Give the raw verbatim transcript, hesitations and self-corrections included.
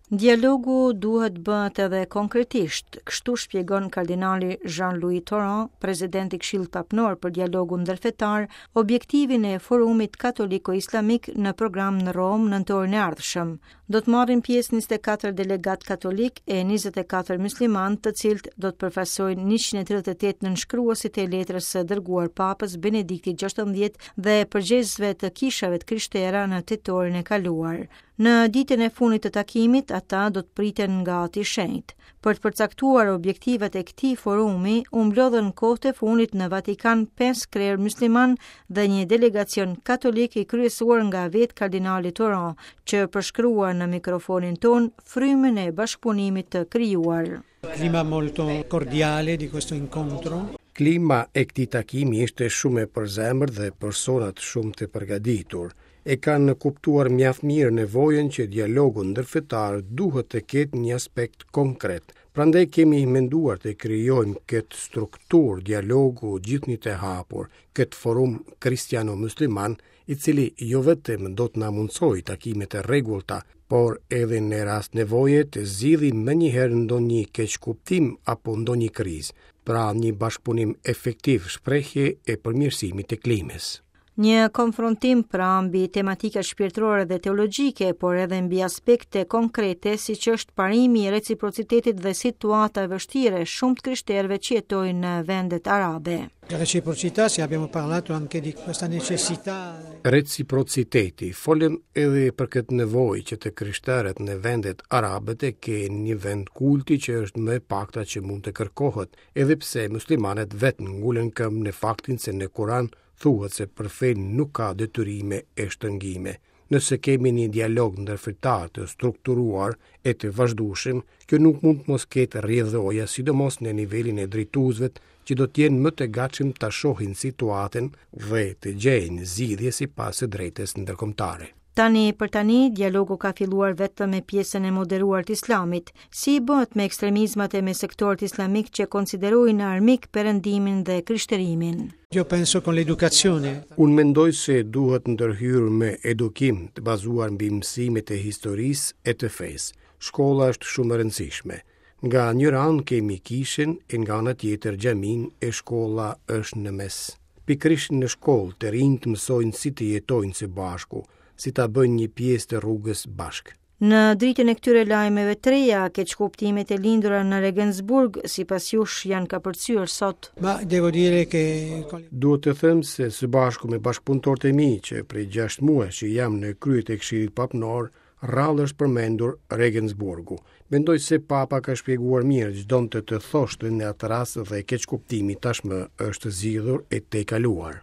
Dialogu duhet bëhet edhe konkretisht, kështu shpjegon kardinali Jean-Louis Tauran, presidenti i Këshillit Papnor për dialogun ndërfetar, objektivin e forumit katoliko-islamik në program në Romë nëntorin e ardhshëm. Do të marrin pjesë njëzet e katër delegat katolik e njëzet e katër musliman, të cilët do të përfaqësojnë njëqind e tridhjetë e tetë nënshkruasit e letrës së dërguar Papës Benedikti gjashtëmbëdhjetë dhe përgjegjësve të kishave të krishtera në tetorin e kaluar. Në ditën e fundit të takimit, ata do të priten nga Ati Shenjt. Për të përcaktuar objektivat e këtij forumi, u mblodhën kohët e fundit në Vatikan pesë krerë musliman dhe një delegacion katolik i kryesuar nga vetë kardinali Tauran, që përshkruan në mikrofonin ton frymën e bashkëpunimit të krijuar. Clima molto cordiale di questo incontro. Klima e këtij takimi ishte shumë e përzemërt dhe personat shumë të përgatitur. E kanë kuptuar mjaft mirë nevojën që dialogu ndërfetar duhet të ketë një aspekt konkret. Prandaj kemi menduar të krijojmë këtë strukturë dialogu gjithnjë të hapur, këtë forum kristiano-musliman, i cili jo vetëm do të na mundësojë takimet e rregullta, por edhe në rast nevoje të zgjidhim menjëherë ndonjë keqkuptim apo ndonjë krizë, pra një bashkëpunim efektiv, shprehje e përmirësimit të klimës. Një konfrontim pra mbi tematika shpirtërore dhe teologjike, por edhe mbi aspekte konkrete, si që është parimi i reciprocitetit dhe situata e vështirë e shumë të krishterëve që jetojnë në vendet arabe. Reciprocità, sì, abbiamo parlato anche di questa necessità. Reciprociteti, folëm edhe për këtë nevojë që të krishterët në vendet arabe të kenë një vend kulti, që është më e pakta që mund të kërkohet, edhe pse muslimanët vetë ngulën këmbë në faktin se në Kuran thuhet se për fenë nuk ka detyrime e shtrëngime. Nëse kemi një dialog ndërfetar të strukturuar e të vazhdueshëm, kjo nuk mund të mos ketë rrjedhoja, sidomos në nivelin e drejtuesve, që do të jenë më të gatshëm ta shohin situatën dhe të gjejnë zgjidhje sipas së drejtës ndërkombëtare. Tani për tani, dialogu ka filluar vetëm me pjesën e moderuar të islamit. Si bëhet me ekstremizmat e me sektorët islamik që konsiderojnë armik perëndimin dhe krishterimin? Io penso con l'educazione. Unë mendoj se duhet ndërhyrë me edukim të bazuar mbi mësimet e historisë e të fesë. Shkolla është shumë e rëndësishme. Nga njëra anë kemi kishën e nga ana tjetër xhamin, e shkolla është në mes. Pikërisht në shkollë të rinjtë mësojnë si të jetojnë së bashku, si ta bëjnë një pjesë të rrugës bashkë. Në dritën e këtyre lajmeve të reja, keqkuptimet e lindura në Regensburg, sipas jush, janë kapërcyer sot? Ma devo dire che Duhet të them se së bashku me bashkëpunëtorët e mi, që prej gjashtë muajsh që jam në krye të Këshillit Papnor, rrallë është përmendur Regensburgu. Mendoj se Papa ka shpjeguar mirë ç'donte të thoshte në atë rast dhe keqkuptimi tashmë është zgjidhur e tejkaluar.